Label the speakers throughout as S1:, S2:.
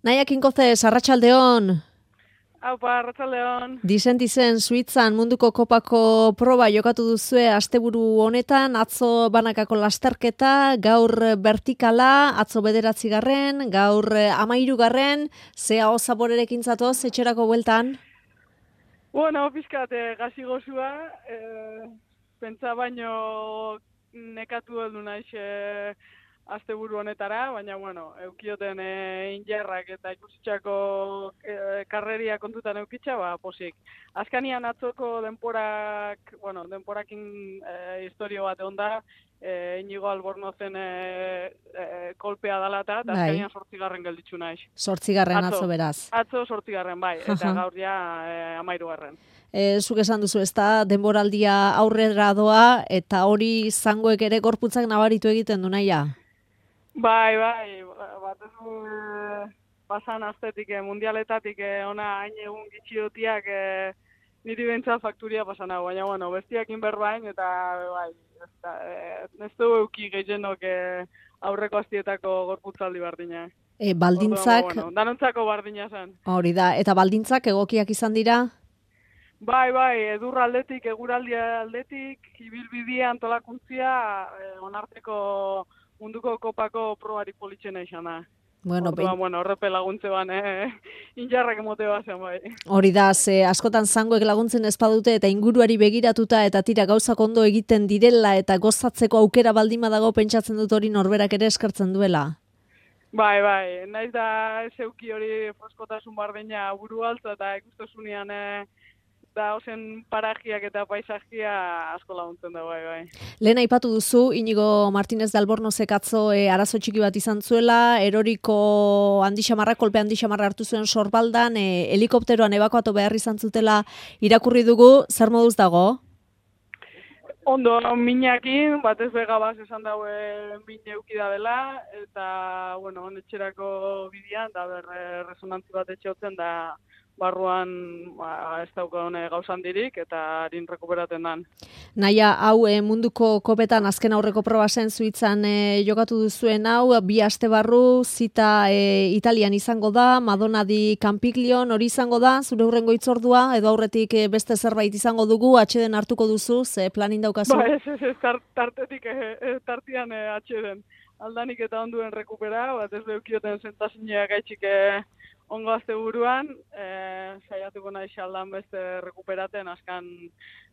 S1: Naia Kinkozez, arratsaldeon.
S2: Aupa, arratsaldeon.
S1: Dizen Suitzan munduko kopako proba jokatu duzue asteburu honetan, atzo banakako lasterketa, gaur vertikala, atzo 9. gaur 13. Ze aho zaborerekin zatoz etxerako bueltan?
S2: Bueno, pizkat gazi gozua, pentsa baino nekatu heldu naiz asteburu honetara, baina bueno, eukioten injerrak eta ikusitxako karreria kontutan eukitxa, posik. Azkanian atzoko denporakin historio bat egon da, Inigo Albornozen kolpea dalata, eta azkanian 8. gelditzu naiz.
S1: 8. atzo beraz.
S2: Atzo 8. bai, eta gaur ja 13.
S1: Zuk esan duzu, ez da, denboraldia aurrera doa, eta hori zangoek ere gorputzak nabaritu egiten du naia?
S2: Bai, batez pasan astetik, mundialetatik ona hain egun gitxiotiak niri bentsat fakturia pasan hau, baina bueno, bestiakin berbain eta bai, ez du euki gehienok aurreko astietako gorputzaldi bardina.
S1: Baldintzak...
S2: Bueno, danontzako bardina zen.
S1: Hori da, eta baldintzak egokiak izan dira?
S2: Bai, edur aldetik, eguraldia aldetik, ibilbidea antolakuntzia, onarteko munduko kopako probari politxena izan da.
S1: Bueno,
S2: horrepe laguntze ban, injarrak emote bazen bai.
S1: Hori da, ze askotan zangoek laguntzen ez badute eta inguruari begiratuta eta tira gauzak ondo egiten direla eta gozatzeko aukera baldin badago pentsatzen dut hori norberak ere eskartzen duela.
S2: Bai, naiz da zeuki hori freskotasun bardina buru altza eta ikustosunean da ozen parajiak eta paisajia asko laguntzen da, bai.
S1: Lehen aipatu duzu, Inigo Martínez de Albornozek atzo arazo txiki bat izan zuela, eroriko kolpe handixamarra hartu zuen sorbaldan, helikopteroan ebakuatu behar izan zutela irakurri dugu, zer moduz dago?
S2: Ondo, minakin, batez begabaz esan daue min eukida dela, eta, bueno, etxerako bidean, da resonantzi bat etxeotzen da, barruan ez dauka gauzan dirik eta harin rekuperaten dan.
S1: Naia, hau munduko kopetan azken aurreko proba zen Suitzan jokatu duzuen hau, 2 aste barru, zita Italian izango da, Madonna di Campiglion hori izango da, zure hurrengo hitzordua, edo aurretik beste zerbait izango dugu, atxeden hartuko duzu, ze planin daukazu?
S2: Ba, ez, tartetik tartian atxeden. Aldanik eta onduen rekupera, bat ez beukioten zentasinia gaitxik ongo azte buruan, saiatuko nahi xaldan beste rekuperaten, azkan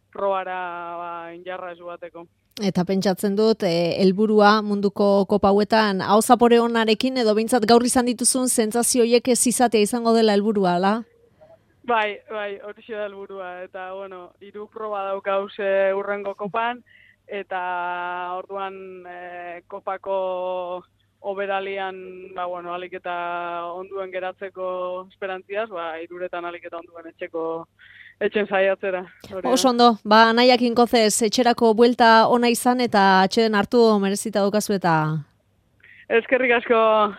S2: probara injarra ez bateko.
S1: Eta pentsatzen dut, helburua munduko kopa hauetan, hau zapore honarekin, edo behintzat gaur izan dituzun sentsazioiek ez izatea izango dela helburua, ala?
S2: Bai, hori da helburua, eta, bueno, 3 proba daukauz urrengo kopan, eta orduan kopako oberalian, alik eta onduen geratzeko esperantziaz, 3 alik eta onduen etxen saiatzera.
S1: Oso ondo, Naia Kinkozez, etxerako buelta ona izan eta atxeden hartu merezita daukazu eta...
S2: Eskerrik asko.